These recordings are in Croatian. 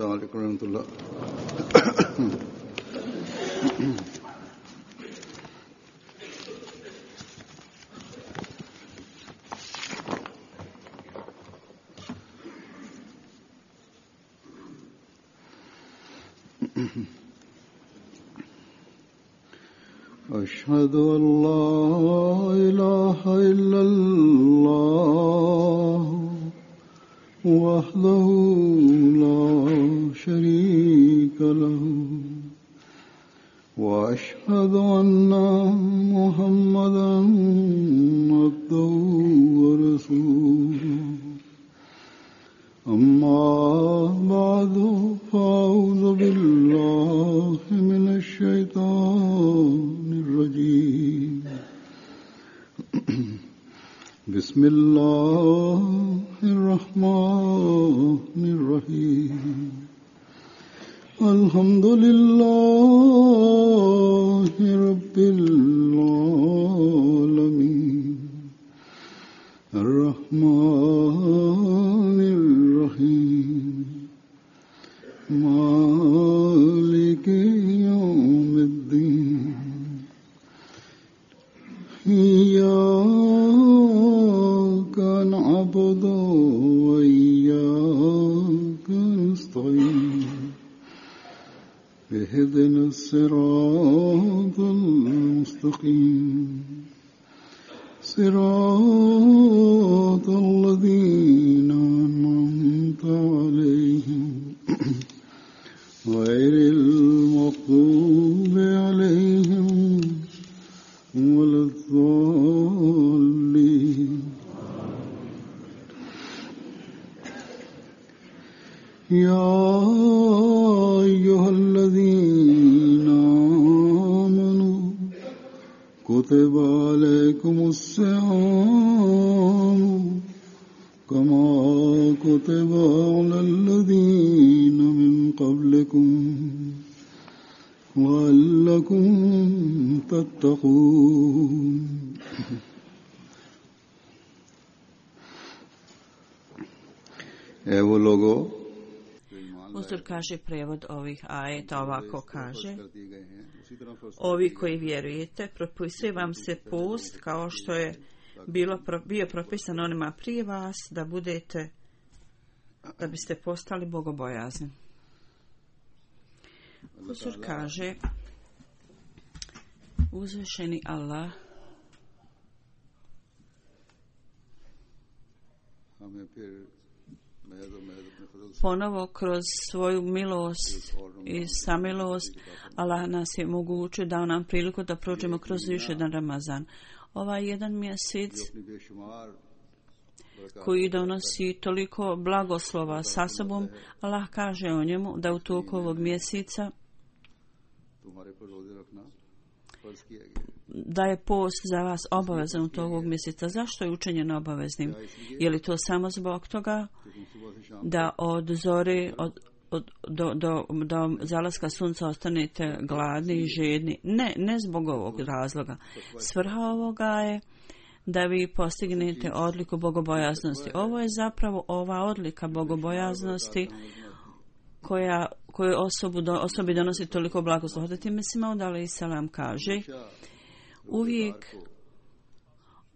Assalamu alaikum warahmatullah. أشهد أن لا إله إلا الله وحده لا شريك له وأشهد أن محمدا عبده ورسوله أما بعد فأعوذ بالله من الشيطان الرجيم بسم الله الرحمن الرحيم الحمد لله رب العالمين الرحمن الرحيم مالك يوم الدين إياك نعبد وإياك نستعين اهدنا الصراط المستقيم صراط الذين أنعمت عليهم غير المغضوب عليهم ولا الضالين يا أيها الذين آمنوا كتب عليكم الصيام كما كتب على الذين من قبلكم لعلكم تتقون Evo logo. Uzor kaže prevod ovih ajeta ovako kaže: Ovi koji vjerujete, propisuje vam se post kao što je bio propisan onima prije vas, da biste postali bogobojazni. Uzor kaže: Uzvišeni Allah ponovo kroz svoju milost i samilost Allah nas je omogućio, dao nam priliku da prođemo kroz još jedan Ramazan. Ovaj jedan mjesec koji donosi toliko blagoslova sa sobom, Allah kaže o njemu da u toku ovog mjeseca da je post za vas obavezan u toku ovog mjeseca. Zašto je učinjeno obaveznim? Je li to samo zbog toga da od zore do zalaska sunca ostanete gladni i žedni? Ne zbog ovog razloga. Svrha ovoga je da vi postignete odliku bogobojaznosti. Ovo je zapravo ova odlika bogobojaznosti koju osobi donosi toliko blagoslova. Hazreti Mesih Maud alejhi selam kaže: uvijek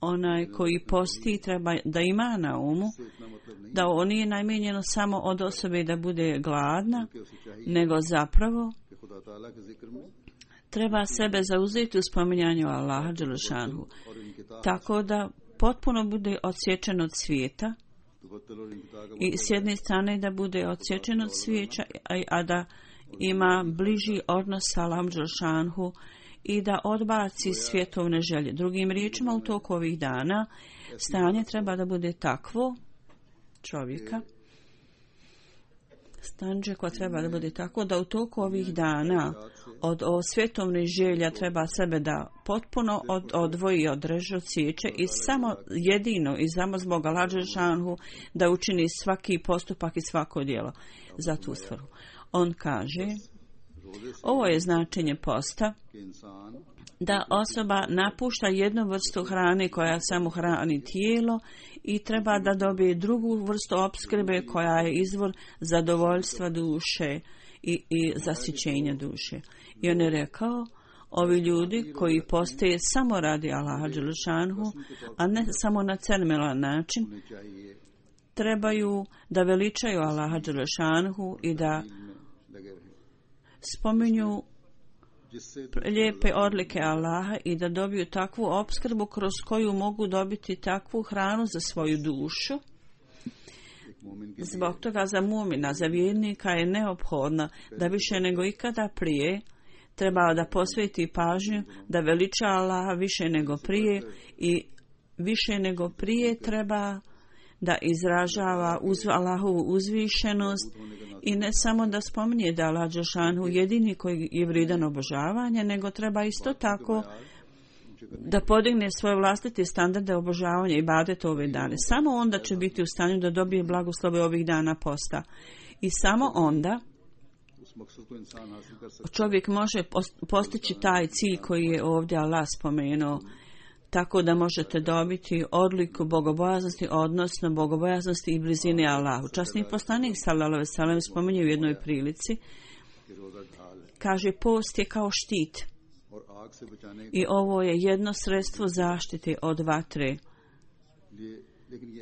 onaj koji posti treba da ima na umu da on nije namijenjeno samo od osobe da bude gladna, nego zapravo treba sebe zauzeti u spominjanju Allaha dželešanhu, tako da potpuno bude odsječen od svijeta i s jedne strane da bude odsječen od svijeća, a da ima bliži odnos sa Allahom dželešanhu i da odbaci svjetovne želje. Drugim riječima, u toku ovih dana stanje treba da bude takvo čovjeka, stanje koje treba da bude tako da u toku ovih dana od svjetovnih želja treba sebe da potpuno odvoji i odreže od sjeće i samo jedino i samo zbog Allaha dželešanhu da učini svaki postupak i svako djelo za tu svrhu. On kaže: Ovo je značenje posta, da osoba napušta jednu vrstu hrane koja samo hrani tijelo i treba da dobije drugu vrstu opskrbe koja je izvor zadovoljstva duše i zasićenja duše. I on je rekao, ovi ljudi koji postoje samo radi Allaha dželešanhu, a ne samo na cermelan način, trebaju da veličaju Allaha dželešanhu i da spominju lijepe odlike Allaha i da dobiju takvu opskrbu kroz koju mogu dobiti takvu hranu za svoju dušu. Zbog toga za mu'mina, za vjernika je neophodno da više nego ikada prije treba da posveti pažnju, da veliča Allaha više nego prije i više nego prije treba da izražava Allahovu uzvišenost i ne samo da spominje da Allah dželešanu jedini koji je vrijedan obožavanja, nego treba isto tako da podigne svoje vlastite standarde obožavanja i ibadeta ove dane. Samo onda će biti u stanju da dobije blagoslove ovih dana posta. I samo onda čovjek može postići taj cilj koji je ovdje Allah spomenuo, tako da možete dobiti odliku bogobojaznosti, odnosno bogobojaznosti i blizine Allahu. Časni poslanik sallallahu alejhi ve sellem spominje u jednoj prilici, kaže, post je kao štit i ovo je jedno sredstvo zaštite od vatre.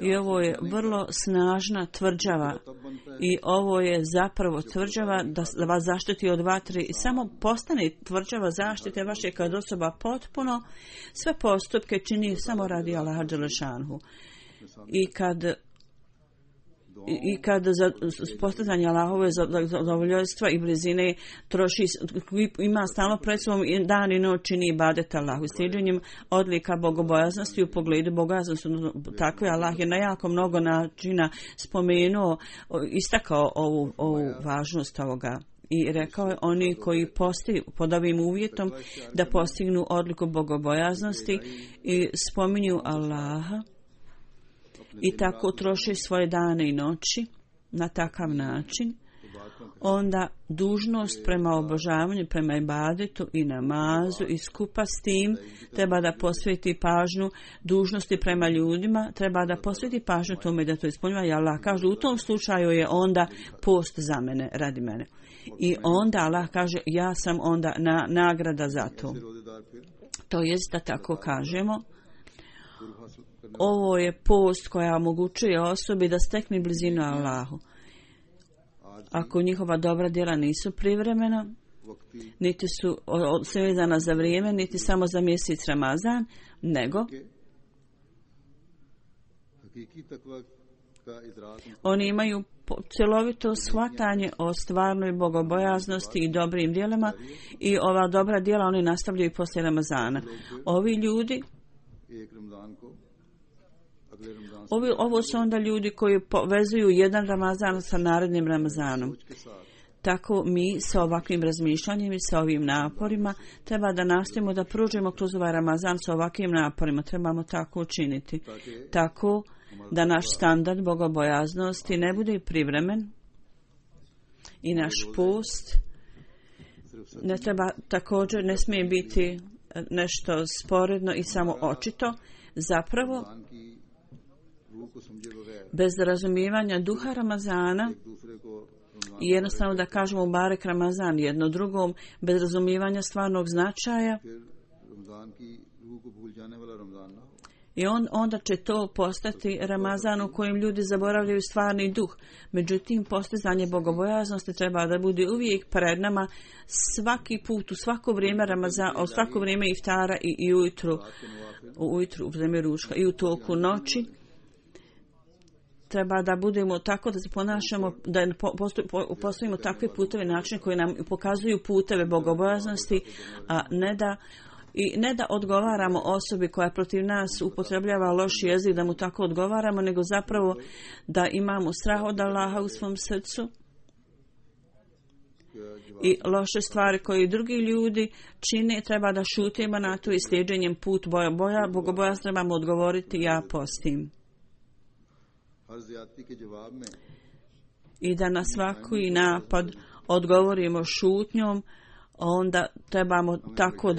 I ovo je vrlo snažna tvrđava i ovo je zapravo tvrđava da vas zaštiti od vatre i samo postane tvrđava zaštite vaše kad osoba potpuno sve postupke čini samo radi Allaha dželešanhu. I kad za postizanje Allahove zadovoljstva i blizine troši, ima stalno pred sobom dan i noć čini ibadet Allahu. Slijedjenjem odlika bogobojaznosti u pogledu bogobojaznosti, tako je Allah je na jako mnogo načina spomenuo, istakao ovu važnost ovoga. I rekao je, oni koji pod ovim uvjetom da postignu odliku bogobojaznosti i spominju Allaha, i tako troše svoje dane i noći na takav način, onda dužnost prema obožavanju, prema ibadetu i namazu i skupa s tim treba da posveti pažnju dužnosti prema ljudima, treba da posveti pažnju tome da to ispunjava. I Allah kaže, u tom slučaju je onda post za mene, radi mene. I onda Allah kaže, ja sam onda nagrada za to. To jest da tako kažemo, ovo je post koja omogućuje osobi da stekne blizinu Allahu. Ako njihova dobra djela nisu privremena, niti su svezana za vrijeme, niti samo za mjesec Ramazan, nego oni imaju cjelovito shvatanje o stvarnoj bogobojaznosti i dobrim djelama i ova dobra djela oni nastavljaju poslije Ramazana. Ovi ljudi, ovo su onda ljudi koji povezuju jedan Ramazan sa narednim Ramazanom. Tako mi sa ovakvim razmišljanjem i sa ovim naporima treba da nastavimo da pružimo kroz ovaj Ramazan sa ovakvim naporima. Trebamo tako učiniti. Tako da naš standard bogobojaznosti ne bude privremen i naš post ne smije biti nešto sporedno i samo očito. Zapravo, bez razumijevanja duha Ramazana i jednostavno da kažemo barek Ramazan jedno drugom, bez razumijevanja stvarnog značaja, i onda će to postati Ramazan u kojem ljudi zaboravljaju stvarni duh. Međutim, postizanje bogobojaznosti treba da bude uvijek pred nama svaki put, u svako vrijeme Ramazana, u svako vrijeme iftara i ujutru, u vrijeme ručka i u toku noći. Treba da budemo tako da se ponašamo, da postavimo takve puteve, načine koji nam pokazuju puteve bogobojaznosti, a ne da odgovaramo osobi koja protiv nas upotrebljava loš jezik, da mu tako odgovaramo, nego zapravo da imamo strah od Allaha u svom srcu i loše stvari koje drugi ljudi čine, treba da šutimo na to i slijedjenjem put bogobojaznosti trebamo odgovoriti, ja postim. I da na svaki napad odgovorimo šutnjom, onda trebamo tako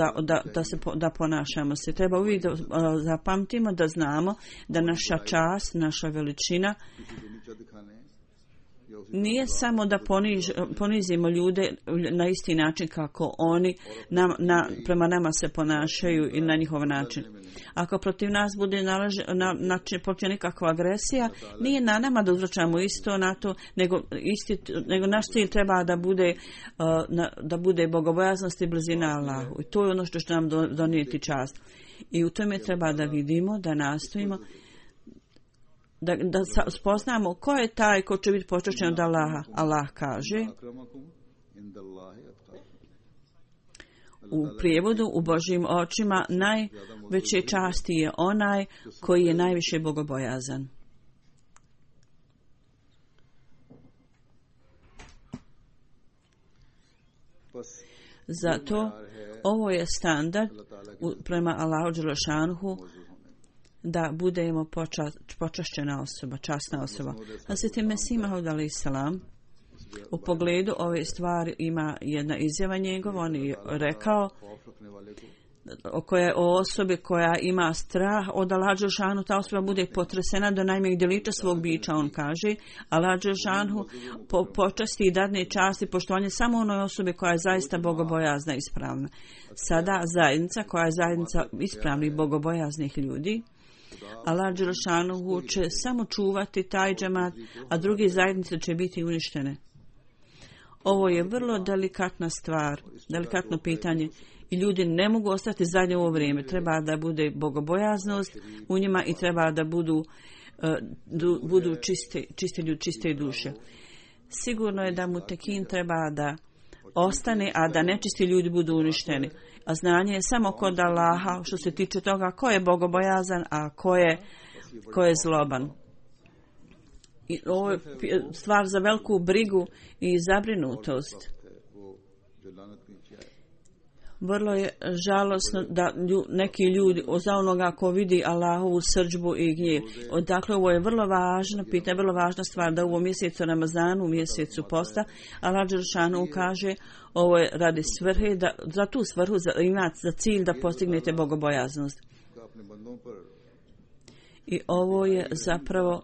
da ponašamo se. Treba uvijek da zapamtimo, da znamo da naša čast, naša veličina nije samo da ponizimo ljude na isti način kako oni prema nama se ponašaju i na njihov način. Ako protiv nas bude protiv nekakva agresija, nije na nama da uzvraćamo isto na to, nego naš cilj treba da bude bogobojaznost i blizina Allahu. I to je ono što će nam donijeti čast. I u tome treba da vidimo, da nastojimo, da spoznamo ko je taj ko će biti počašćen od Allaha. Allah kaže u prijevodu, u Božjim očima najveće časti je onaj koji je najviše bogobojazan. Zato ovo je standard prema Allahu dželešanuhu, da budemo počašćena osoba, časna osoba. Hazreti Mesih Maud alejhi selam u pogledu ove stvari ima jedna izjava njegova. On je rekao o osobi koja ima strah od Allaha dželešanu, ta osoba bude potresena do najmanjeg djelića svog bića. On kaže Allah dželešanu počasti i dadne čast i poštovanje samo onoj osobi koja je zaista bogobojazna i ispravna. Sada zajednica koja je zajednica ispravnih bogobojaznih ljudi, Allah dželešanu će samo čuvati taj džemat, a drugi zajednice će biti uništene. Ovo je vrlo delikatna stvar, delikatno pitanje i ljudi ne mogu ostati zadnje u ovo vrijeme. Treba da bude bogobojaznost u njima i treba da budu čisti ljudi, čiste duše. Sigurno je da mutekin treba da ostane, a da nečisti ljudi budu uništeni. A znanje je samo kod Allaha što se tiče toga ko je bogobojazan, a ko je zloban. I ovo je stvar za veliku brigu i zabrinutost. Vrlo je žalosno da neki ljudi za onoga ko vidi Allahovu srdžbu i gnjev. Dakle, ovo je vrlo važno pitanje, vrlo važna stvar da u ovom mjesecu Ramazanu, u mjesecu posta, Allah dželešanu kaže ovo je radi svrhe, za tu svrhu imate za cilj da postignete bogobojaznost. I ovo je zapravo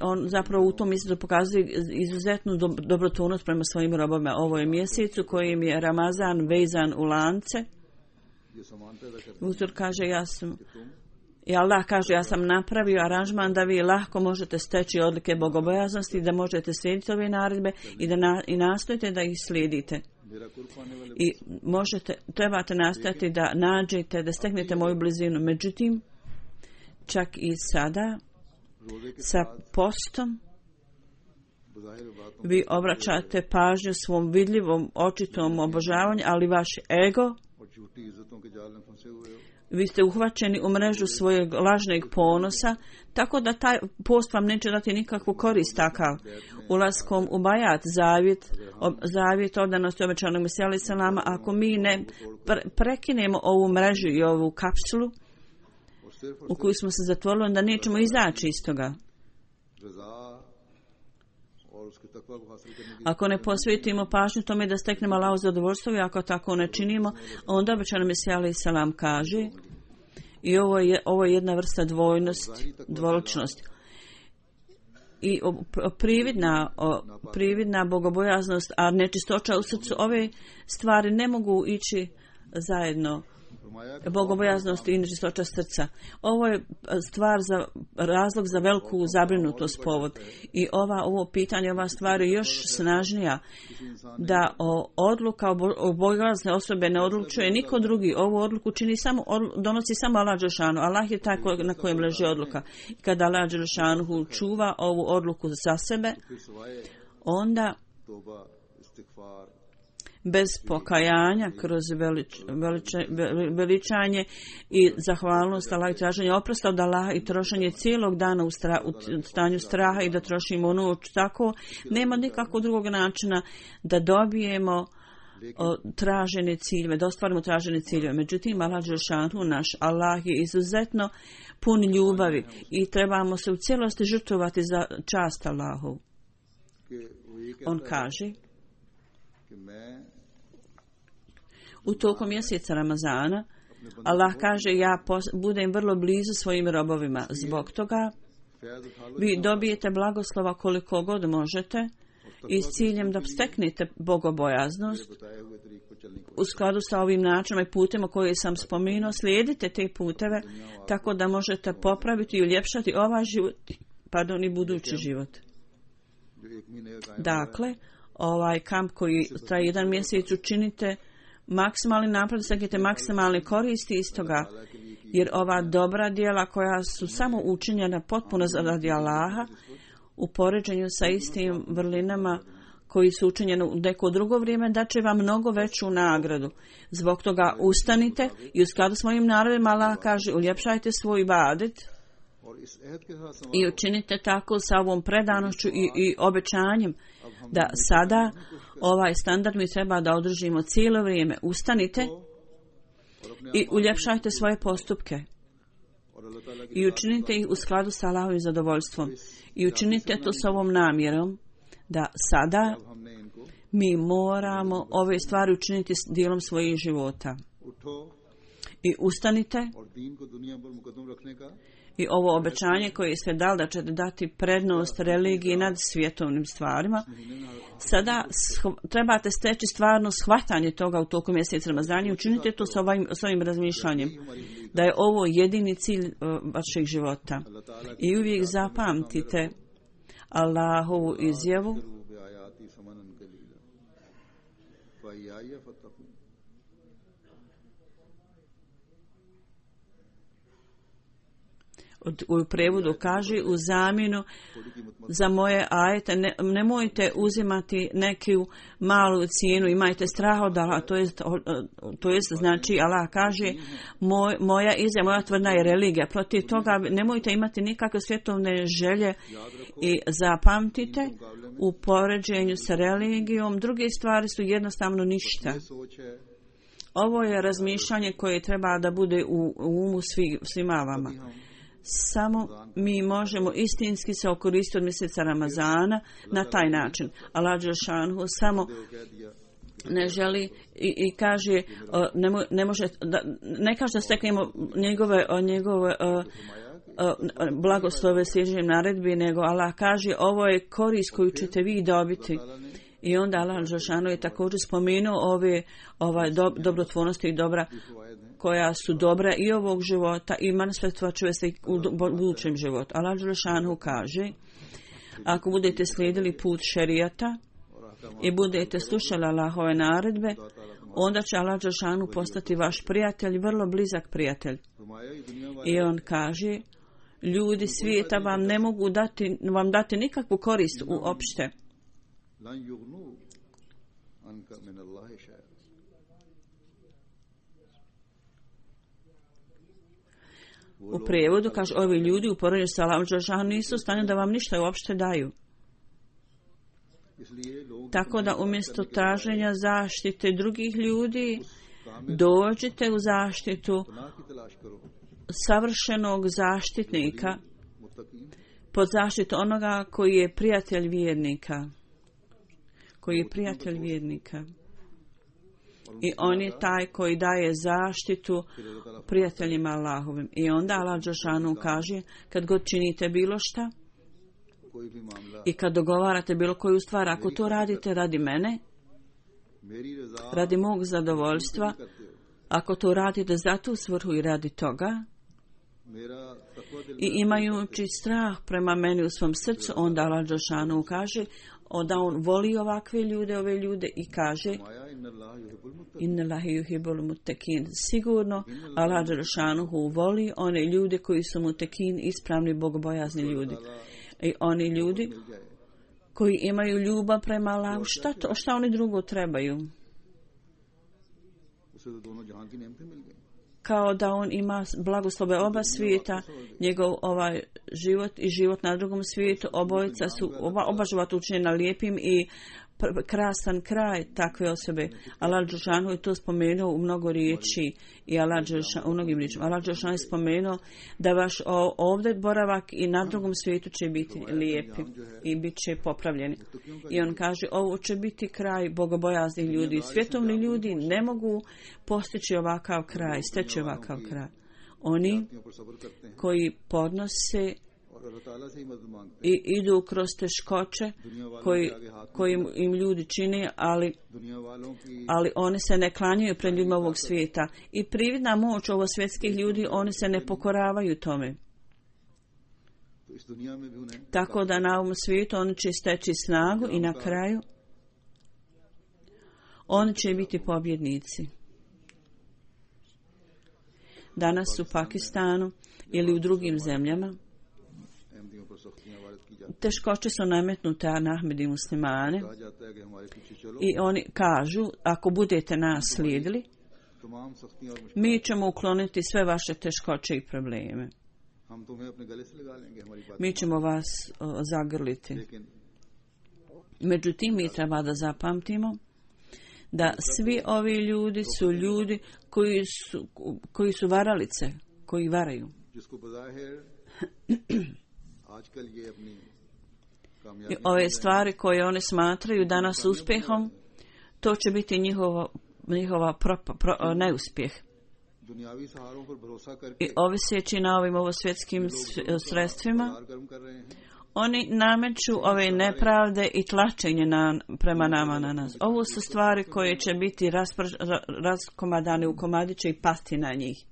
on zapravo u tom mjesecu pokazuje izuzetnu dobrotvornost prema svojim robovima. Ovo je mjesecu kojim je Ramazan vezan u lance. Uzor kaže Allah kaže ja sam napravio aranžman da vi lahko možete steći odlike bogobojaznosti, da možete slijediti ove naredbe i nastojite da ih slijedite. I trebate nastojati da nađete, da steknete moju blizinu. Međutim, čak i sada sa postom vi obraćate pažnju svom vidljivom očitom obožavanju, ali vaš ego, vi ste uhvaćeni u mrežu svojeg lažnog ponosa, tako da taj post vam neće dati nikakvu korist takav. Ulaskom u bajat, zavjet odanosti obećanog Mesija alejhi selama, ako mi ne prekinemo ovu mrežu i ovu kapsulu u koju smo se zatvorili, onda nećemo izaći iz toga. Ako ne posvetimo pažnju tome da steknemo Allahovo zadovoljstvo i ako tako ne činimo, onda obećani Mesija alejhi selam kaže, i ovo je jedna vrsta dvoličnosti. I prividna bogobojaznost, a nečistoća u srcu, ove stvari ne mogu ići zajedno. Bogobojaznost i nečistoća srca. Ovo je razlog za veliku zabrinutost povod. I ovo pitanje, ova stvar je još snažnija, da odluka o bogobojazne osobe ne odlučuje niko drugi. Ovu odluku donosi samo Allah dželešanu. Allah je taj na kojem leži odluka. I kada Allah dželešanu čuva ovu odluku za sebe, onda bez pokajanja, kroz veličanje i zahvalnost Allah i traženje oprosta od Allaha i trošenje cijelog dana u stanju straha i da trošimo noć tako, nema nikakvog drugog načina da dobijemo tražene ciljeve, da ostvarimo tražene ciljeve. Međutim, Allah dželešanu, naš Allah je izuzetno pun ljubavi i trebamo se u cijelosti žrtvovati za čast Allahu. On kaže, u toku mjeseca Ramazana Allah kaže, ja budem vrlo blizu svojim robovima. Zbog toga vi dobijete blagoslova koliko god možete i s ciljem da steknete bogobojaznost u skladu sa ovim načinom i putima koje sam spomenuo. Slijedite te puteve tako da možete popraviti i uljepšati ovaj život, i budući život. Dakle, ovaj kamp koji traje jedan mjesec, učinite maksimalni napred, steknite maksimalne koristi iz toga, jer ova dobra djela koja su samo učinjena potpuno radi Allaha u poređenju sa istim vrlinama koji su učinjeni u neko drugo vrijeme, da će vam mnogo veću nagradu. Zbog toga ustanite i u skladu s mojim narodima Allah kaže, uljepšajte svoj ibadet i učinite tako sa ovom predanošću i obećanjem da sada ovaj standard mi treba da održimo cijelo vrijeme. Ustanite i uljepšajte svoje postupke i učinite ih u skladu sa Allahovim zadovoljstvom i učinite to s ovom namjerom da sada mi moramo ove stvari učiniti s dijelom svojih života. I ustanite i ovo obećanje koje je sve dal da ćete dati prednost religiji nad svjetovnim stvarima, sada trebate steći stvarno shvatanje toga u toku mjeseca Ramazana i učinite to s ovim razmišljanjem, da je ovo jedini cilj vašeg života. I uvijek zapamtite Allahovu izjavu u prevodu kaže, u zamjenu za moje ajete nemojte uzimati neku malu cijenu, imajte strah od Allaha, to jest znači Allah kaže, moja izjava, moja tvrdna je religija, protiv toga nemojte imati nikakve svjetovne želje i zapamtite, u poređenju sa religijom druge stvari su jednostavno ništa. Ovo je razmišljanje koje treba da bude u umu svima vama. Samo mi možemo istinski se okoristiti od mjeseca Ramazana na taj način. Allah dželešanu samo ne želi i kaže ne može ne kaže da steknemo njegove blagoslove slijeđenjem naredbi, nego Allah kaže ovo je korist koju ćete vi dobiti. I onda Allah dželešanu je također spomenuo ove dobrotvornosti i dobra koja su dobra i ovog života i manifestovat se u budućem životu. Allah dželešanu kaže, ako budete slijedili put šerijata i budete slušali Allahove naredbe, onda će Allah dželešanu postati vaš prijatelj, vrlo blizak prijatelj. I on kaže, ljudi svijeta vam ne mogu dati nikakvu korist uopšte. U prijevodu kaže, ovi ljudi u poređenju sa Allahom dželešanu nisu u stanju da vam ništa uopšte daju. Tako da umjesto traženja zaštite drugih ljudi, dođite u zaštitu savršenog zaštitnika, pod zaštitu onoga koji je prijatelj vjernika. I on je taj koji daje zaštitu prijateljima Allahovim. I onda Allah dželešanu kaže, kad god činite bilo šta i kad dogovarate bilo koju stvar, ako to radite radi mene, radi mog zadovoljstva, ako to radite za tu svrhu i radi toga, i imajući strah prema meni u svom srcu, onda Allah dželešanu kaže da on voli ovakve ljude, ove ljude i kaže inna Allaha yuhibbul muttaqin. Sigurno Allah dželešanu voli one ljude koji su mutekin, ispravni bogobojazni ljudi. I oni ljudi koji imaju ljubav prema Allahu, šta oni drugo trebaju? Kao da on ima blagoslove oba svijeta, njegov život i život na drugom svijetu, oba života učinjena lijepim i krasan kraj takve osobe. Allah dželešanu je to spomenuo u mnogo riječi i u mnogim riječima. Allah dželešanu je spomenuo da vaš ovdje boravak i na drugom svijetu će biti lijepi i bit će popravljeni. I on kaže, ovo će biti kraj bogobojaznih ljudi. Svjetovni ljudi ne mogu postići ovakav kraj, steći ovakav kraj. Oni koji podnose i idu kroz teškoće koji im ljudi čine, ali oni se ne klanjaju pred ljudima ovog svijeta. I prividna moć ovo svjetskih ljudi, oni se ne pokoravaju tome. Tako da na ovom svijetu oni će steći snagu i na kraju oni će biti pobjednici. Danas u Pakistanu ili u drugim zemljama teškoće su nametnute na Ahmedi muslimane i oni kažu, ako budete nas slijedili, mi ćemo ukloniti sve vaše teškoće i probleme. Mi ćemo vas zagrliti. Međutim, mi treba da zapamtimo da svi ovi ljudi su ljudi koji su varalice, koji varaju. I ove stvari koje oni smatraju danas uspjehom, to će biti njihova neuspjeh. I oviseći na ovim ovosvjetskim sredstvima, oni nameću ove nepravde i tlačenje prema nama na nas. Ovo su stvari koje će biti raskomadane u komadiće i pasti na njih.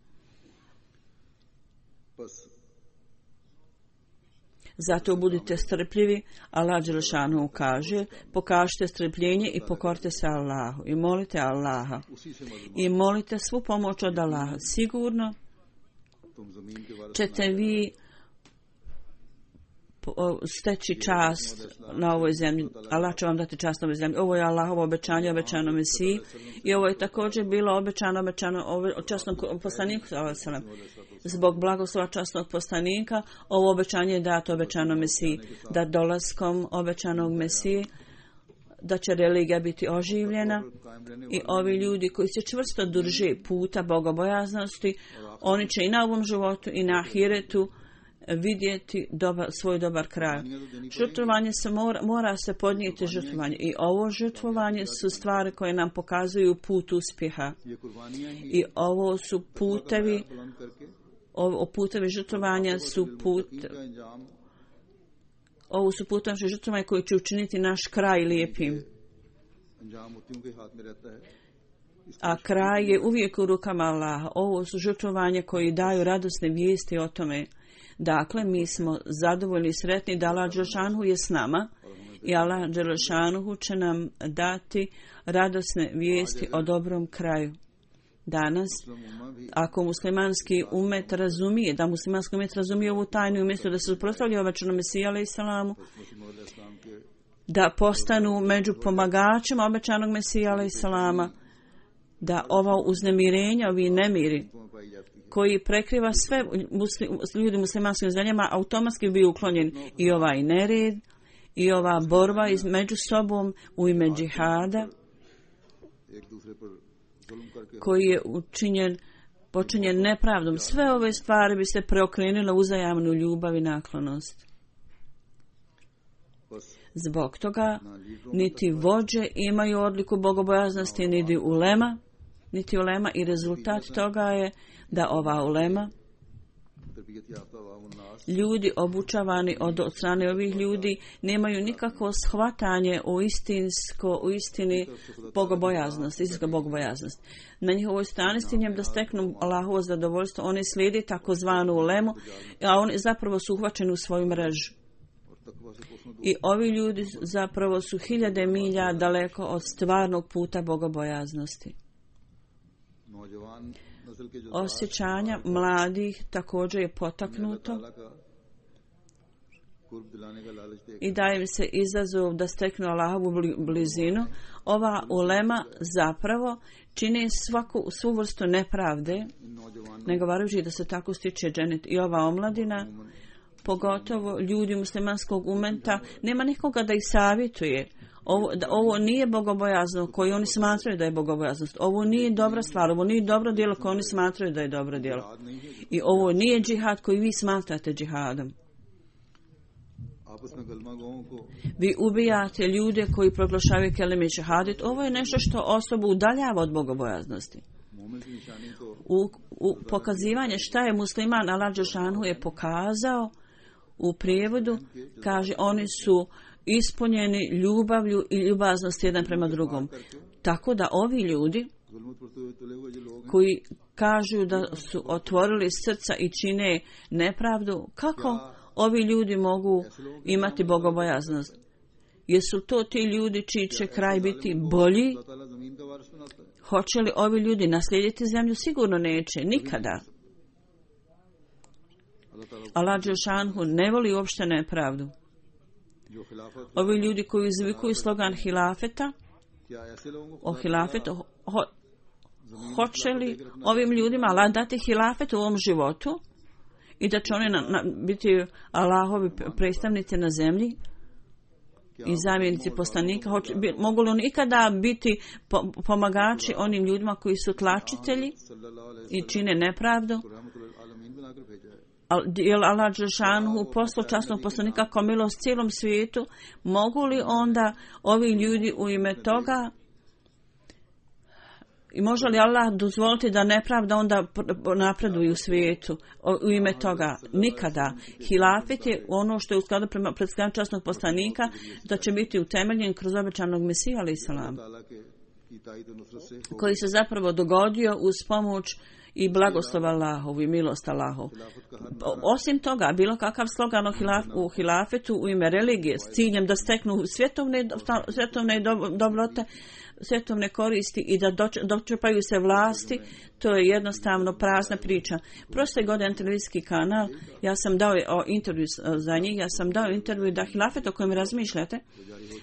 Zato budite strpljivi, Allah dželešanu kaže, pokažite strpljenje i pokorite se Allahu i molite Allaha. I molite svu pomoć od Allaha. Sigurno ćete vi steći čast na ovoj zemlji. Allah će vam dati čast na ovoj zemlji. Ovo je Allahovo obećanje, obećano Mesiji. I ovo je također bilo obećano časnom poslaniku. Zbog blagoslova časnog poslanika, ovo obećanje je dato obećano Mesiji. Da dolaskom obećanog Mesije, da će religija biti oživljena i ovi ljudi koji se čvrsto drže puta bogobojaznosti, oni će i na ovom životu i na ahiretu vidjeti svoj dobar kraj. Žrtvovanje mora se podnijeti žrtvovanje i ovo žrtvovanje su stvari koje nam pokazuju put uspjeha. I ovo su putevi žrtvovanja ovo su putevi žrtvovanja koji će učiniti naš kraj lijepim. A kraj je uvijek u rukama Allaha. Ovo su žrtvovanja koji daju radosne vijesti o tome. Dakle, mi smo zadovoljni i sretni da Allah dželešanu je s nama i Allah dželešanu će nam dati radosne vijesti o dobrom kraju. Danas, ako muslimanski umet razumije ovu tajnu, umjesto da se suprotstavlja obećanom Mesiji alejsalamu, da postanu među pomagačima obećanog Mesija alejsalama, da ova uznemirenja, ovi nemiri koji prekriva sve ljudi u muslimanskim zemljama, automatski bi uklonjen i ovaj nered i ova borba među sobom u ime džihada koji je počinjen nepravdom. Sve ove stvari bi se preokrenule u uzajamnu ljubav i naklonost. Zbog toga niti vođe imaju odliku bogobojaznosti, niti ulema i rezultat toga je da ova ulema, ljudi obučavani od strane ovih ljudi, nemaju nikakvo shvatanje u istini bogobojaznost, istinska bogobojaznost. Na njihovoj strani s tim da steknu Allahovo zadovoljstvo, oni slijedi takozvanu ulemu, a oni zapravo su uhvaćeni u svoju mrežu. I ovi ljudi zapravo su hiljade milja daleko od stvarnog puta bogobojaznosti. Osjećanja mladih također je potaknuto i daje im se izazov da steknu Allahovu blizinu. Ova ulema zapravo čini svu vrstu nepravde, ne govarajući da se tako stiče dženet. I ova omladina, pogotovo ljudi muslimanskog umeta, nema nikoga da ih savjetuje. Ovo nije bogobojazno koji oni smatraju da je bogobojaznost. Ovo nije dobra stvar, ovo nije dobro djelo koje oni smatraju da je dobro djelo. I ovo nije džihad koji vi smatrate džihadom. Vi ubijate ljude koji proglašavaju kelime šehadet. Ovo je nešto što osobu udaljava od bogobojaznosti. U pokazivanje šta je musliman, Allah dželešanu je pokazao u prijevodu, kaže oni su ispunjeni ljubavlju i ljubaznosti jedan prema drugom. Tako da ovi ljudi koji kažu da su otvorili srca i čine nepravdu, kako ovi ljudi mogu imati bogobojaznost? Jesu to ti ljudi čiji će kraj biti bolji? Hoće li ovi ljudi naslijediti zemlju? Sigurno neće, nikada. Allah dželešanu ne voli uopšte nepravdu. Ovi ljudi koji izvikuju slogan hilafeta, o hilafetu, hoće li ovim ljudima Allah dati hilafet u ovom životu i da će oni biti Allahovi predstavnici na zemlji i zamjenici poslanika? Mogu li oni ikada biti pomagači onim ljudima koji su tlačitelji i čine nepravdu? Jer Allah dželešanu poslao časnog poslanika kao milost cijelom svijetu, mogu li onda ovi ljudi u ime toga i može li Allah dozvoliti da nepravda onda napreduje u svijetu u ime toga? Nikada. Hilafet je ono što je u skladu prema predstavljanju časnog poslanika da će biti utemeljen kroz obećanog Mesija alejhi selam, koji se zapravo dogodio uz pomoć i blagoslov Allahov i milost Allahov. Osim toga, bilo kakav slogan u hilafetu u ime religije s ciljem da steknu svjetovne dobrote, svjetovne koristi i da dočepaju se vlasti, to je jednostavno prazna priča. Prošle godine na televizijski kanal, ja sam dao intervju za njih, ja sam dao intervju da hilafet o kojem razmišljate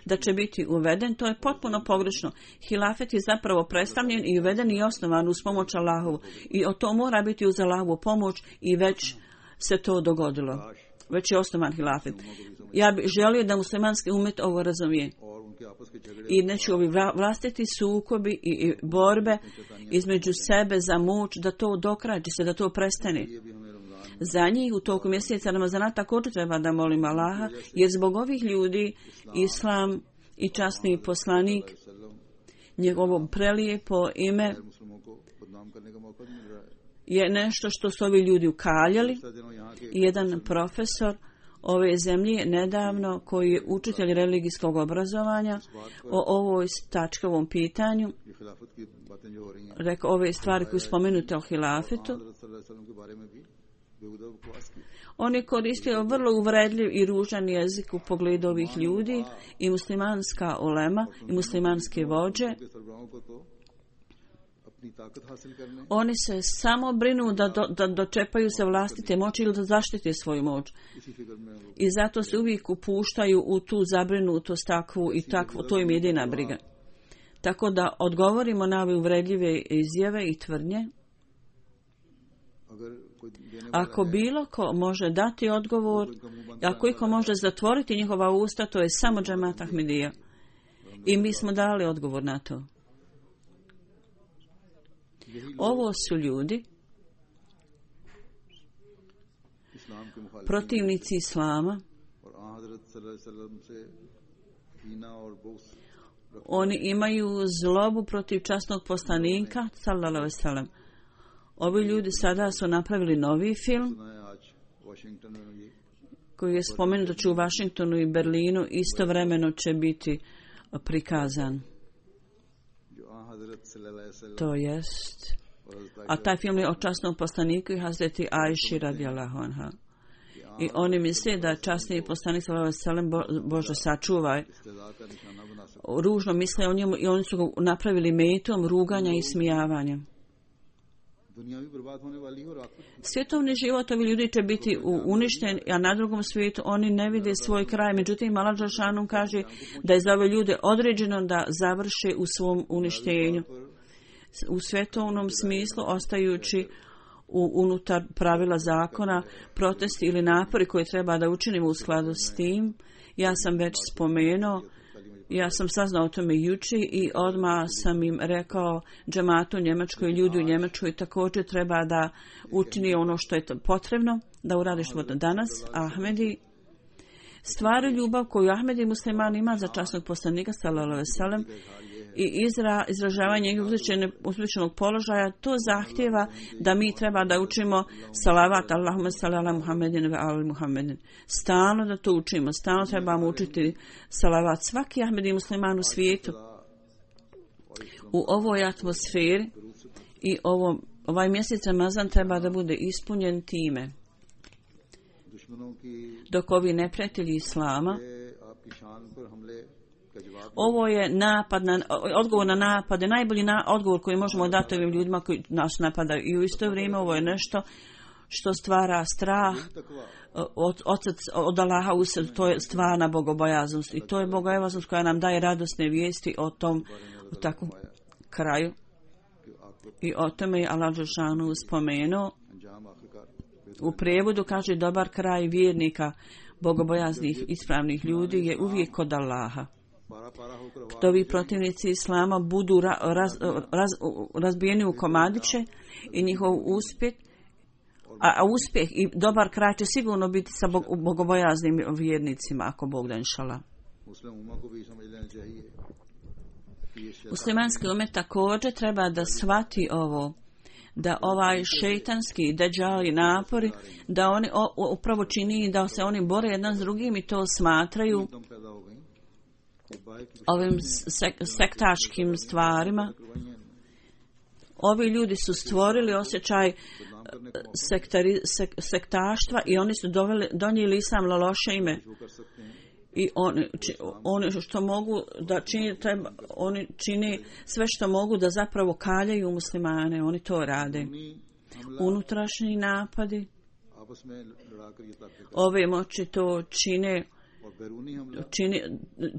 da će biti uveden, to je potpuno pogrešno. Hilafet je zapravo predstavljen i uveden i osnovan uz pomoć Allahovu. I to mora biti uz Allahovu pomoć i već se to dogodilo. Već je osnovan hilafet. Ja bih želio da muslimanski umet ovo razumije. I neću ovi vlastiti sukobi i borbe između sebe za moć, da to dokrađi se, da to prestane. Za njih u toku mjeseca Ramazana također treba da molim Allaha, jer zbog ovih ljudi Islam i časni poslanik, njegovo prelijepo ime je nešto što su ovi ljudi ukaljali. Jedan profesor ove zemlje nedavno, koji je učitelj religijskog obrazovanja, o ovoj tački, ovom pitanju, rekao ove stvari koje spomenute o hilafetu. On je koristio vrlo uvredljiv i ružan jezik u pogledu ovih ljudi i muslimanska ulema i muslimanske vođe. Oni se samo brinu da dočepaju se vlastite moći ili da zaštite svoju moć. I zato se uvijek upuštaju u tu zabrinutost takvu i takvu, to im je jedina briga. Tako da odgovorimo na ove uvredljive izjave i tvrdnje. Ako bilo ko može dati odgovor, ako iko može zatvoriti njihova usta, to je samo džemat Ahmedija. I mi smo dali odgovor na to. Ovo su ljudi, protivnici Islama. Oni imaju zlobu protiv časnog poslanika, sallallahu alejhi ve sellem. Ovi ljudi sada su napravili novi film koji je spomenut da će u Washingtonu i Berlinu istovremeno će biti prikazan. To jest. A taj film je o časnom poslaniku i Hazreti Ajši radijallahu anha. I oni misle da časni poslanik sallallahu alejhi ve sellem, Bože sačuvaj, ružno misle o njemu i oni su ga napravili metom ruganja i smijavanja. Svjetovni život ovi ljudi će biti uništen, a na drugom svijetu oni ne vide svoj kraj. Međutim, Allah dželešanu kaže da je za ove ljude određeno da završe u svom uništenju. U svjetovnom smislu, ostajući unutar pravila zakona, protesti ili napori koje treba da učinimo u skladu s tim, ja sam već spomenuo, Ja sam saznao o tome juče i odmah sam im rekao džematu u Njemačkoj, ljudi u Njemačkoj također treba da učini ono što je potrebno, da uradi što danas. Ahmedi stvari ljubav koju Ahmedi musliman ima za časnog poslanika sallallahu alejhi ve sellem i izražavanje njegovog uzvišenog položaja, to zahtjeva da mi treba da učimo salavat Allahumma salli ala Muhammedin ve ali Muhammedin. Stalno da to učimo, stalno trebamo učiti salavat. Svaki Ahmedi musliman u svijetu u ovoj atmosferi i ovaj mjesec Ramazan treba da bude ispunjen time. Dok ovi neprijatelji Islama, ovo je odgovor na napade, najbolji odgovor koji možemo dati ovim ljudima koji nas napadaju. I u isto vrijeme ovo je nešto što stvara strah od Allaha usred, to je stvarna bogobojaznost. I to je bogobojaznost koja nam daje radosne vijesti o tom takvom kraju. I o tome je Allah dželešanu spomenuo. U prijevodu kaže dobar kraj vjernika, bogobojaznih, ispravnih ljudi je uvijek kod Allaha. Kad ovi protivnici Islama budu razbijeni u komadiće i njihov uspjeh, a uspjeh i dobar kraj će sigurno biti sa bogobojaznim vjernicima, ako Bog da inšallah. Muslimanski umet također treba da shvati ovo, da ovaj šejtanski deđali napori, da oni upravo čini da se oni bore jedan s drugim i to smatraju ovim sektaškim stvarima. Ovi ljudi su stvorili osjećaj sektaštva i oni su donijeli islam loše ime. I oni što mogu da čini, oni čini sve što mogu da zapravo kaljaju muslimane. Oni to rade. Unutrašnji napadi. Ove moći to čine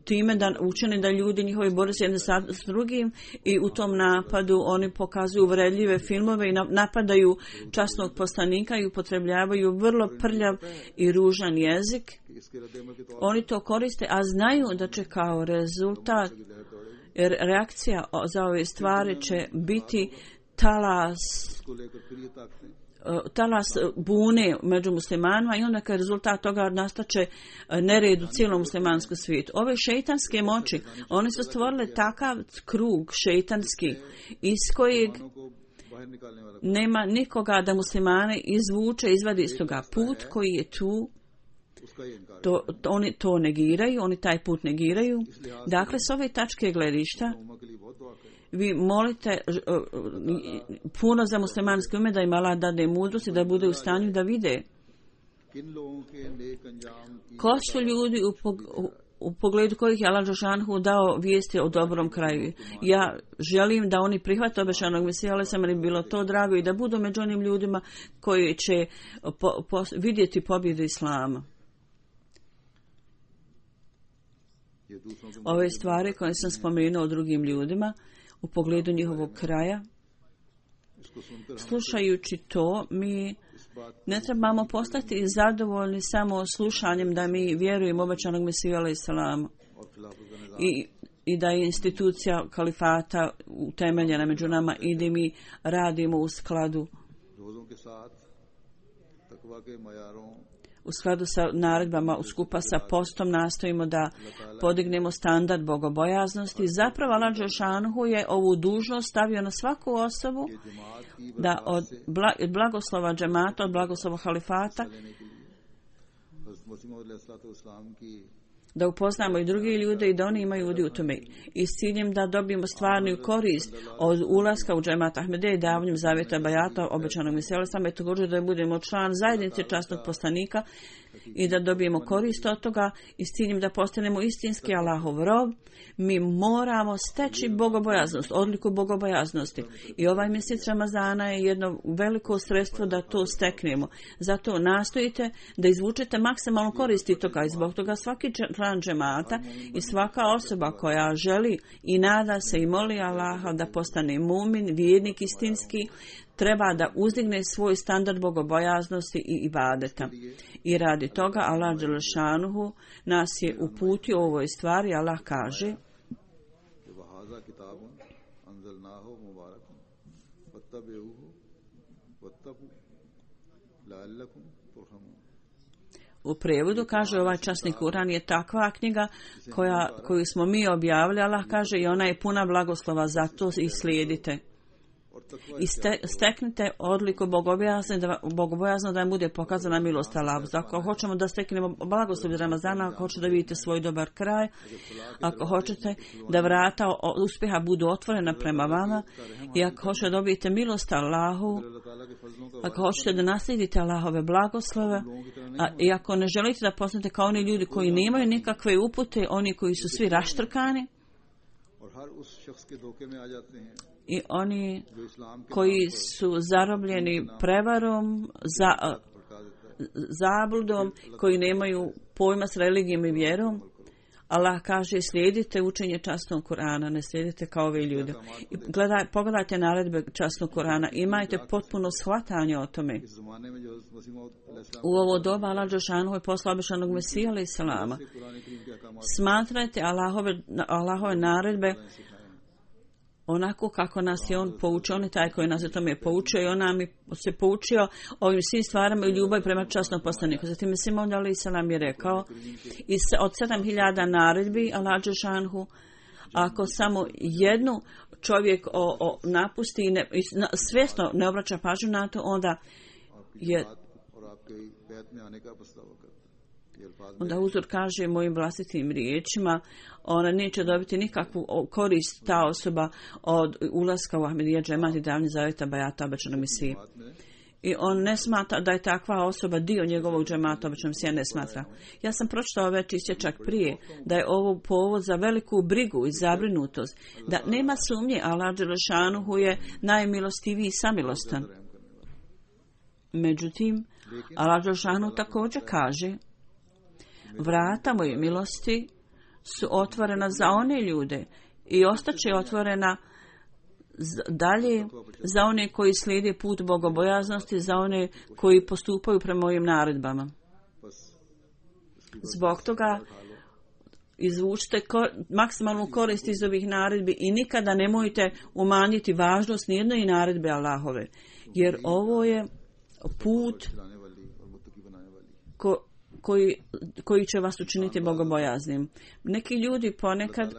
time da učine da ljudi njihovi bore se jedni s drugim i u tom napadu oni pokazuju uvredljive filmove i napadaju časnog poslanika i upotrebljavaju vrlo prljav i ružan jezik. Oni to koriste, a znaju da će kao rezultat, jer reakcija za ove stvari će biti talas bune među muslimanima i onda kao rezultat toga nastaće nered u cijelom muslimanskom svijetu. Ove šejtanske moći, oni su stvorili takav krug šejtanski iz kojeg nema nikoga da muslimane izvadi iz toga. Put koji je tu, oni to negiraju, oni taj put negiraju. Dakle, s ove tačke gledišta vi molite puno za muslimanski umet da im Allah dade mudrost i da bude u stanju da vide ko su ljudi u pogledu kojih je Allah dželešanu dao vijesti o dobrom kraju. Ja želim da oni prihvate obećanog Mesija, ali sam mi bilo to drago i da budu među onim ljudima koji će vidjeti pobjedu Islama. Ove stvari koje sam spomenuo o drugim ljudima u pogledu njihovog kraja, slušajući to, mi ne trebamo postati zadovoljni samo slušanjem da mi vjerujemo obećanog Mesiju alejhiselam i da je institucija kalifata utemeljena među nama i da mi radimo u skladu sa naredbama, skupa sa postom nastojimo da podignemo standard bogobojaznosti. Zapravo Allah dželešanu je ovu dužnost stavio na svaku osobu da od blagoslova džemata, od blagoslova halifata, da upoznamo i drugi ljude i da oni imaju udi u tome. I s ciljem da dobijemo stvarnu korist od ulaska u džemat Ahmedije i davanjem zavjeta bajata obećanog Mesija alejhiselam, i također da budemo član zajednice časnog poslanika i da dobijemo korist od toga i s ciljem da postanemo istinski Allahov rob, mi moramo steći bogobojaznost, odliku bogobojaznosti. I ovaj mjesec Ramazana je jedno veliko sredstvo da to steknemo. Zato nastojite da izvučete maksimalno koristi toga i zbog toga svaki član džemata i svaka osoba koja želi i nada se i moli Allaha da postane mumin, vjernik istinski, treba da uzdigne svoj standard bogobojaznosti i ibadeta. I radi toga Allah dželešanuhu nas je uputio u ovoj stvari. Allah kaže: u prijevodu kaže ovaj časni Kuran je takva knjiga koju smo mi objavili. Allah kaže i ona je puna blagoslova, zato i slijedite. I steknite odliku bogobojazno da im bude pokazana milost Allah. Ako hoćemo da steknemo blagoslov Ramazana, ako hoćete da vidite svoj dobar kraj, ako hoćete da vrata uspjeha budu otvorena prema vama i ako hoćete da dobijete milost Allahu, ako hoćete da naslijedite Allahove blagoslove, i ako ne želite da postanete kao oni ljudi koji nemaju nikakve upute, oni koji su svi raštrkani, i oni koji su zarobljeni prevarom, zabludom, koji nemaju pojma s religijom i vjerom, Allah kaže: slijedite učenje časnog Kur'ana, ne slijedite kao ovi ljudi. Pogledajte naredbe časnog Kur'ana, imajte potpuno shvatanje o tome. U ovo doba Allah dželešanuhu je poslao obećanog Mesija alejhi selama. Smatrajte Allahove naredbe onako kako nas je on poučio. On je taj koji nas je tome poučio i on nam je se poučio ovim svim stvarama i ljubav prema časnom poslaniku. Zatim Mesija alejhi selam je rekao: od 7000 naredbi Allah dželešanuhu, ako samo jednu čovjek napusti i svjesno ne obraća pažnju na to, onda uzor kaže mojim vlastitim riječima, ona neće dobiti nikakvu korist ta osoba od ulaska u Ahmedija džemat i davanje zavjeta bajata obećanog Mesije. I on ne smatra da je takva osoba dio njegovog džemata obećanog Mesija, ne smatra. Ja sam pročitao već isječak prije da je ovo povod za veliku brigu i zabrinutost, da nema sumnje Allah dželešanuhu je najmilostiviji i samilostan. Međutim, Allah dželešanuhu također kaže: vrata moje milosti su otvorena za one ljude i ostaće otvorena dalje za one koji slijede put bogobojaznosti, za one koji postupaju prema mojim naredbama. Zbog toga izvučite maksimalnu korist iz ovih naredbi i nikada nemojte umanjiti važnost nijedne i naredbe Allahove, jer ovo je put koji će vas učiniti bogobojaznim. Neki ljudi ponekad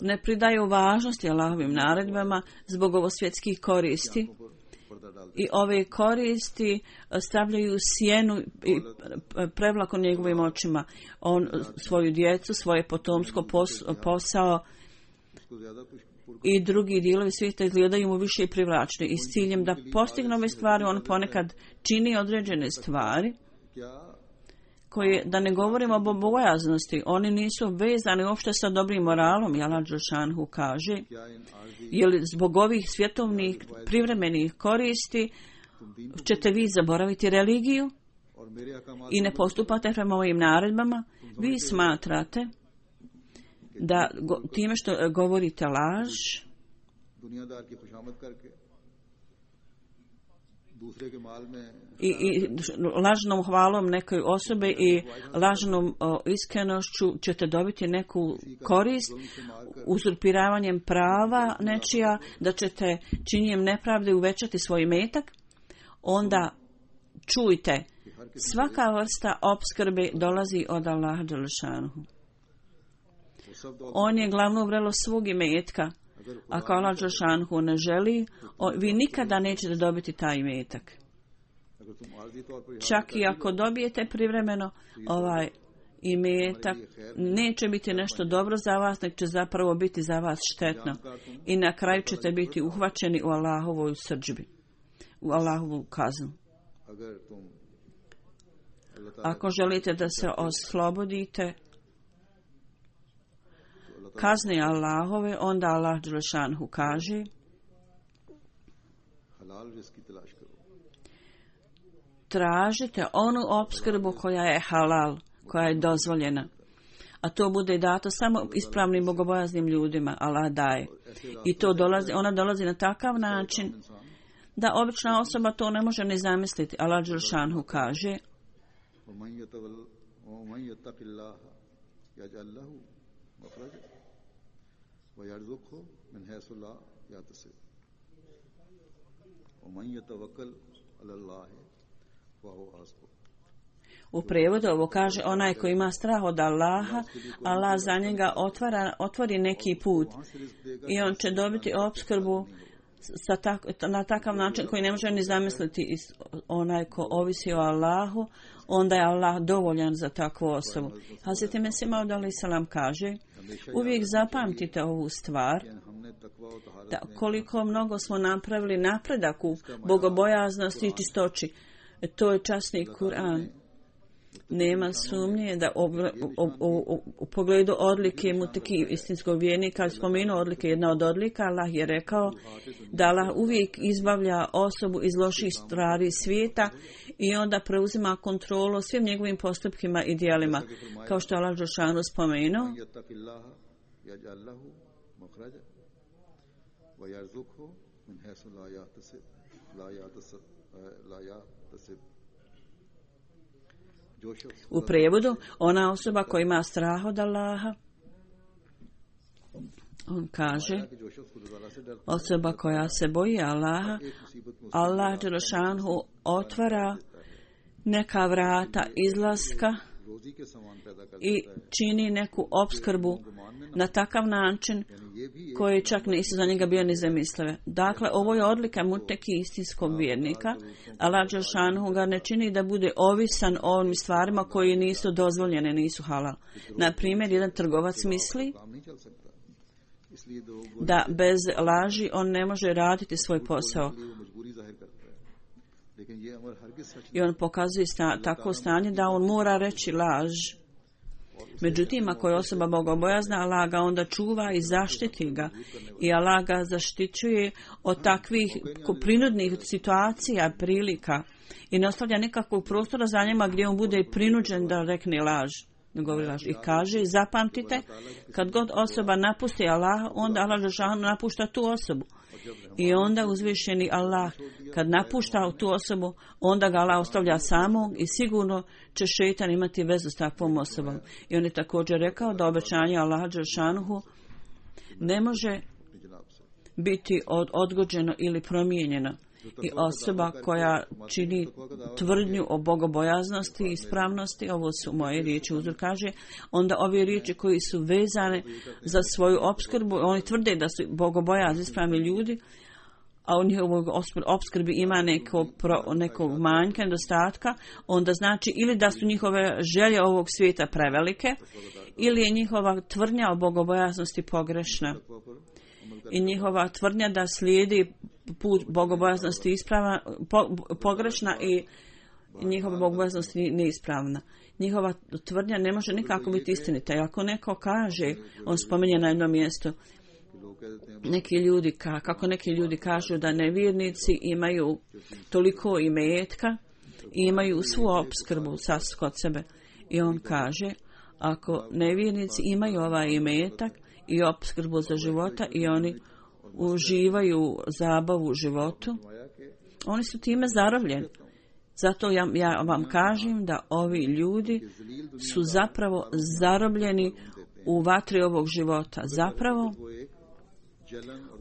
ne pridaju važnosti Allahovim naredbama zbog ovosvjetskih koristi i ove koristi stavljaju sjenu i prevlaku njegovim očima. On svoju djecu, svoje potomsko posao i drugi dijelovi svijeta izgledaju mu više privlačni i s ciljem da postigne ove stvari on ponekad čini određene stvari koje, da ne govorimo o bogobojaznosti, oni nisu vezani uopšte sa dobrim moralom. Allah dželešanuhu kaže: je li zbog ovih svjetovnih privremenih koristi ćete vi zaboraviti religiju i ne postupate prema ovim naredbama? Vi smatrate da time što govorite laž i lažnom hvalom nekoj osobe i lažnom iskrenošću ćete dobiti neku korist, uzurpiravanjem prava nečija, da ćete činjenjem nepravde uvećati svoj imetak, onda čujte, svaka vrsta opskrbe dolazi od Allaha dželešanuhu. On je glavno vrelo svog imetka. Ako Allah dželešanuhu ne želi, vi nikada nećete dobiti taj imetak. Čak i ako dobijete privremeno ovaj imetak, neće biti nešto dobro za vas, nek će zapravo biti za vas štetno. I na kraju ćete biti uhvaćeni u Allahovoj srdžbi, u Allahovu kaznu. Ako želite da se oslobodite kazne Allahove, onda Allah dželešanuhu kaže: tražite onu opskrbu koja je halal, koja je dozvoljena. a to bude dato samo ispravnim bogobojaznim ljudima, Allah daje. I to ona dolazi na takav način da obična osoba to ne može ni zamisliti. Allah dželešanu kaže: u prijevodu ovo kaže: onaj koji ima strah od Allaha, Allah za njega otvori neki put i on će dobiti opskrbu na takav način koji ne može ni zamisliti. Onaj ko ovisi o Allahu, onda je Allah dovoljan za takvu osobu. Hazreti Mesih Maud alejhi selam kaže: uvijek zapamtite ovu stvar, da koliko mnogo smo napravili napredak u bogobojaznosti i čistoći. To je časni Kur'an. Nema sumnje da u pogledu odlike muteki istinskog vjernika, spomenuo odlike, jedna od odlika, Allah je rekao da Allah uvijek izbavlja osobu iz loših stvari svijeta i onda preuzima kontrolu svim njegovim postupkima i djelima. Kao što Allah dželešanu spomenuo: u prijevodu, ona osoba koja ima strah od Allaha, on kaže, osoba koja se boji Allaha, Allah dželešanu otvara neka vrata izlaska i čini neku opskrbu na takav način koji čak nisu za njega bio ni zamislive. Dakle, ovo je odlika muteki istinskog vjernika. Allah dželešanu ga ne čini da bude ovisan o ovim stvarima koji nisu dozvoljene, nisu halal. Na primjer, jedan trgovac misli da bez laži on ne može raditi svoj posao. I on pokazuje tako stanje da on mora reći laž. Međutim, ako je osoba bogobojazna, Allah ga onda čuva i zaštiti ga. I Allah ga zaštićuje od takvih prinudnih situacija, prilika. I ne ostavlja nikakvog prostora za njima gdje on bude prinuđen da rekne laž. I kaže, zapamtite, kad god osoba napusti Allah, onda Allah dželešanu napušta tu osobu. I onda uzvišeni Allah, kad napušta tu osobu, onda ga Allah ostavlja samog i sigurno će šejtan imati vezu s takvom osobom. I on je također rekao da obećanje Allaha dželešanu ne može biti odgođeno ili promijenjeno. I osoba koja čini tvrdnju o bogobojaznosti i ispravnosti, ovo su moje riječi, uzor kaže, onda ove riječi koji su vezane za svoju opskrbu, oni tvrde da su bogobojazni ispravni ljudi, a u njihovoj opskrbi ima nekog manjka, nedostatka, onda znači ili da su njihove želje ovog svijeta prevelike, ili je njihova tvrdnja o bogobojaznosti pogrešna. I njihova tvrdnja da slijedi put bogobojaznosti ispravna, pogrešna i njihova bogobojaznost neispravna. Njihova tvrdnja ne može nikako biti istinita. I ako neko kaže, on spominje na jednom mjestu, kako neki ljudi kažu da nevjernici imaju toliko imetka i imaju svu opskrbu kod sebe. I on kaže, ako nevjernici imaju ovaj imetak i opskrbu za života i oni uživaju zabavu u životu, oni su time zarobljeni. Zato ja vam kažem da ovi ljudi su zapravo zarobljeni u vatri ovog života. Zapravo,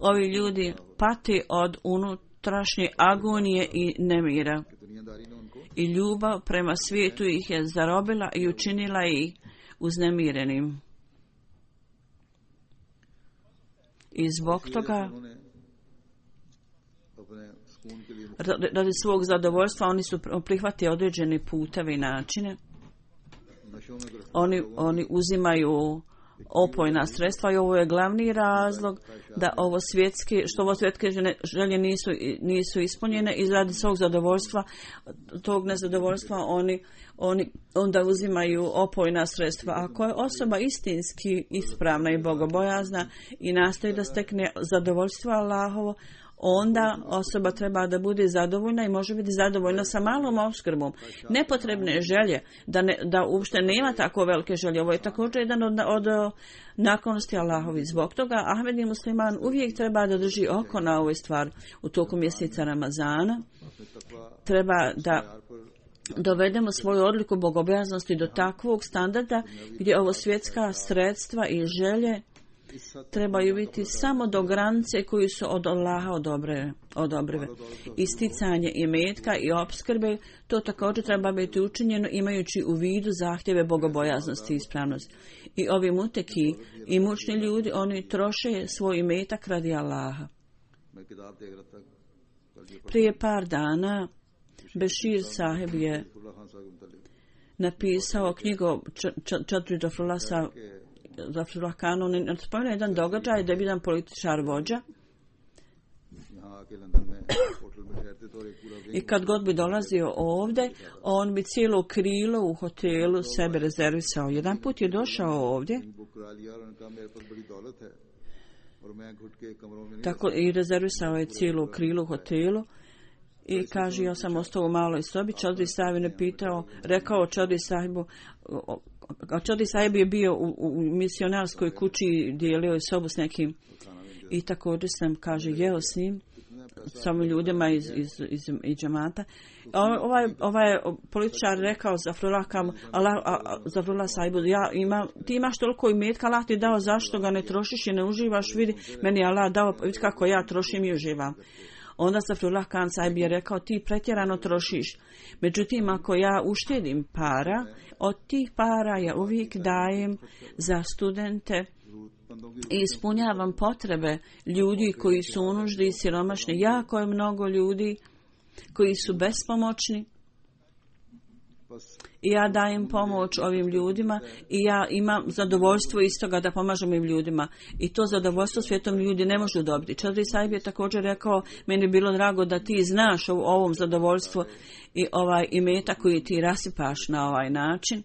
ovi ljudi pati od unutrašnje agonije i nemira. I ljubav prema svijetu ih je zarobila i učinila ih uznemirenim. I zbog toga, radi svog zadovoljstva, oni su prihvatili određene puteve i načine. Oni uzimaju opojna sredstva i ovo je glavni razlog da ovo svjetske želje nisu ispunjene i radi svog zadovoljstva, tog nezadovoljstva oni onda uzimaju opojna sredstva. Ako je osoba istinski ispravna i bogobojazna i nastoji da stekne zadovoljstvo Allahovo, onda osoba treba da bude zadovoljna i može biti zadovoljna sa malom opskrbom. Nepotrebne želje, da uopšte nema tako velike želje. Ovo je također jedan od naklonosti Allahovi. Zbog toga Ahmedi musliman uvijek treba da drži oko na ovoj stvari. U toku mjeseca Ramazana treba da dovedemo svoju odliku bogobojaznosti do takvog standarda gdje ovo svjetska sredstva i želje trebaju biti samo do granice koji su od Allaha odobrive. Isticanje imetka i opskrbe, to također treba biti učinjeno imajući u vidu zahtjeve bogobojaznosti i ispravnosti. I ovi muteki i mučni ljudi, oni troše svoj imetak radi Allaha. Prije par dana Bešir sahib je napisao knjigu Čadri Zafrullah Khan. On spomenuo jedan događaj da je jedan političar vođa i kad god bi dolazio ovdje, on bi cijelo krilo u hotelu sebe rezervisao. Jedan put je došao ovdje tako i rezervisao je cijelo krilo u hotelu. I kaže, ja sam ostao u maloj sobi. Čadri sahib je rekao Čadri sahibu, Čadri sahib je bio u misionarskoj kući, dijelio je sobu s nekim i također sam, kaže, jeo s njim, s ovim ljudima iz džamata. Ovaj političar rekao Zafrullah sahibu, ti imaš toliko imetka, Allah ti dao, zašto ga ne trošiš i ne uživaš, vidi, meni Allah dao, vidi kako ja trošim i uživam. Onda Zafrullah Khan sahib je rekao, ti pretjerano trošiš. Međutim, ako ja uštedim para, od tih para ja uvijek dajem za studente i ispunjavam potrebe ljudi koji su u nuždi i siromašni. Jako je mnogo ljudi koji su bespomoćni. I ja dajem pomoć ovim ljudima i ja imam zadovoljstvo iz toga da pomažem ovim ljudima. I to zadovoljstvo svijetom ljudi ne može dobiti. Čadri sahib je također rekao, meni je bilo drago da ti znaš o ovom zadovoljstvu i ovaj imetak koji ti rasipaš na ovaj način.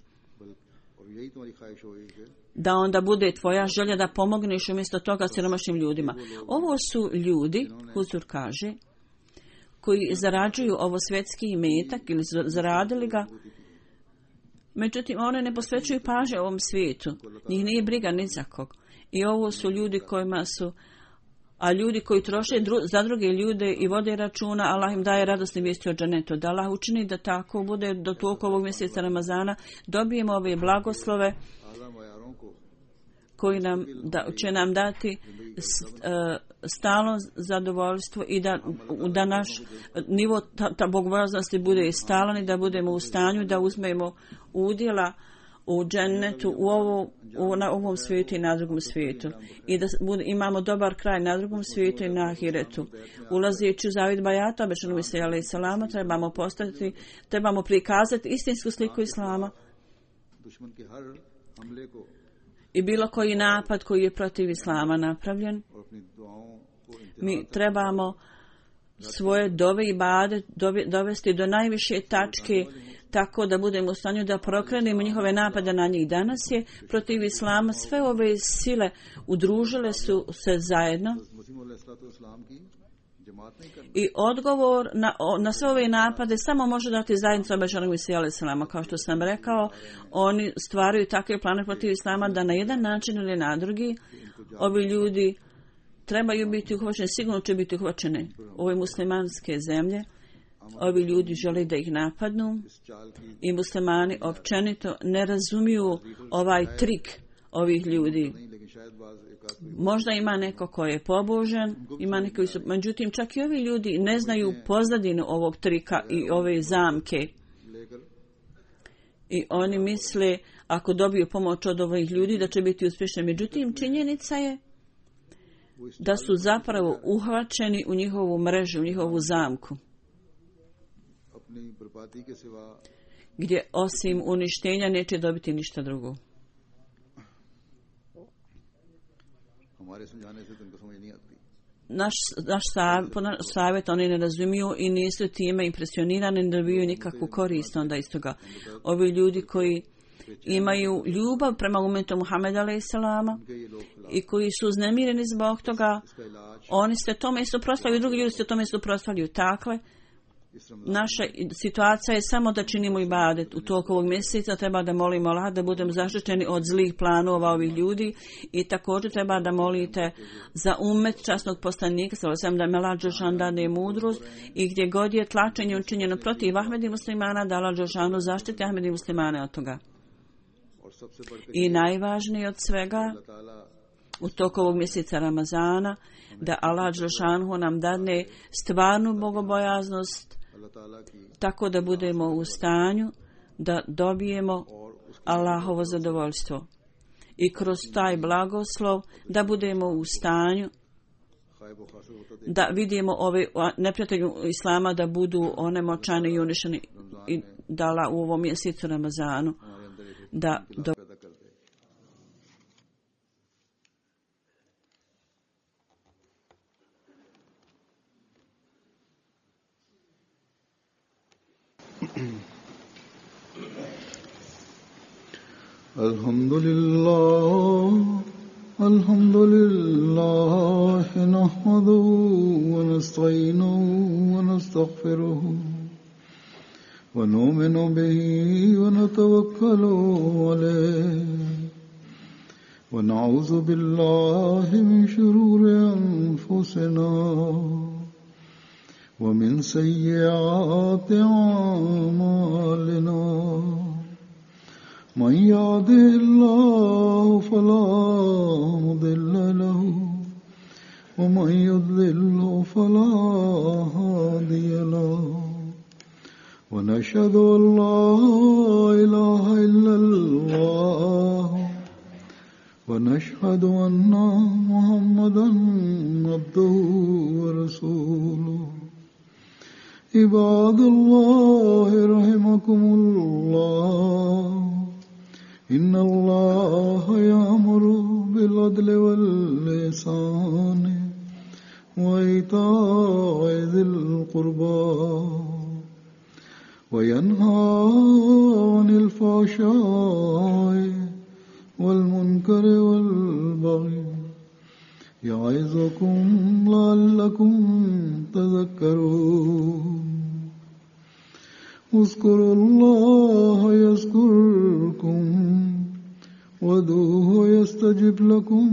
Da onda bude tvoja želja da pomogneš umjesto toga siromašnim ljudima. Ovo su ljudi, Huzur kaže, koji zarađuju ovo svjetski imetak ili zaradili ga. Međutim, one ne posvećuju pažnje ovom svijetu. Njih nije briga ni za kog. I ovo su ljudi kojima su, a ljudi koji troše za druge ljude i vode računa, Allah im daje radosne vijesti o dženetu. Da Allah učini da tako bude do toliko ovog mjeseca Ramazana, dobijemo ove blagoslove koji će nam dati stalno zadovoljstvo i da naš nivo ta bogobojaznosti bude stalan i da budemo u stanju da uzmemo udjela u džennetu na ovom svijetu i na drugom svijetu. I da imamo dobar kraj na drugom svijetu i na ahiretu. Ulazeći u zavid bajata, obećanom Isa alejhi selama, trebamo prikazati istinsku sliku Islama. I bilo koji napad koji je protiv Islama napravljen, mi trebamo svoje dove i bade dovesti do najviše tačke tako da budemo u stanju da prokrenemo njihove napade na njih. Danas je protiv Islama sve ove sile udružile su se zajedno i odgovor na sve ove napade samo može dati zajednica obećanog Mesija alejhi selama. Kao što sam rekao, oni stvaraju takve plane protiv Islama da na jedan način ili na drugi ovi ljudi trebaju biti uhvaćeni, sigurno će biti uhvaćeni ove muslimanske zemlje. Ovi ljudi žele da ih napadnu i muslimani općenito ne razumiju ovaj trik ovih ljudi. Možda ima neko ko je pobožan, ima neki koji su, međutim čak i ovi ljudi ne znaju pozadinu ovog trika i ove zamke. I oni misle ako dobiju pomoć od ovih ljudi da će biti uspješni. Međutim činjenica je da su zapravo uhvaćeni u njihovu mrežu, u njihovu zamku, gdje osim uništenja neće dobiti ništa drugo. Naš savjet oni ne razumiju i nisu time impresionirani, ne dobiju nikakvu korist onda iz toga. Ovi ljudi koji imaju ljubav prema umetu Muhameda a.s. i koji su uznemireni zbog toga, oni se tome suprotstavljaju, drugi ljudi se tome suprotstavljaju. Takve, naša situacija je samo da činimo ibadet. U toku ovog mjeseca treba da molimo Allah da budemo zaštićeni od zlih planova ovih ljudi i također treba da molite za umet časnog poslanika, da me Allah dželešanu dade mudrost i gdje god je tlačenje učinjeno protiv Ahmedi muslimana, da Allah dželešanu zaštiti Ahmedi muslimane od toga. I najvažnije od svega, u toku ovog mjeseca Ramazana, da Allah dželešanu nam dadne stvarnu bogobojaznost, tako da budemo u stanju da dobijemo Allahovo zadovoljstvo. I kroz taj blagoslov da budemo u stanju da vidimo ove neprijatelju Islama da budu onemoćani i uništeni i dala u ovom mjesecu Ramazanu da Alhamdulillah nahmaduhu wa nasta'inuhu wa nastaghfiruhu wa nu'minu bihi wa natawakkalu alayhi wa na'udhu billahi min shururi anfusina wa min sayyiati a'malina. من يهده الله فلا مضل له ومن يضلل فلا هادي له ونشهد أن لا إله إلا الله ونشهد أن محمدا عبده ورسوله. عباد الله رحمكم الله إن الله يأمر بالعدل والإحسان وإيتاء ذي القربى وينهى عن الفحشاء والمنكر والبغي يعظكم لعلكم تذكرون. اذكروا الله يذكركم وادعوه يستجب لكم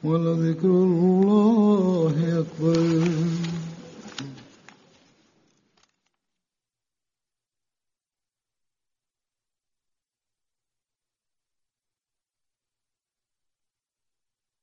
ولذكر الله أكبر.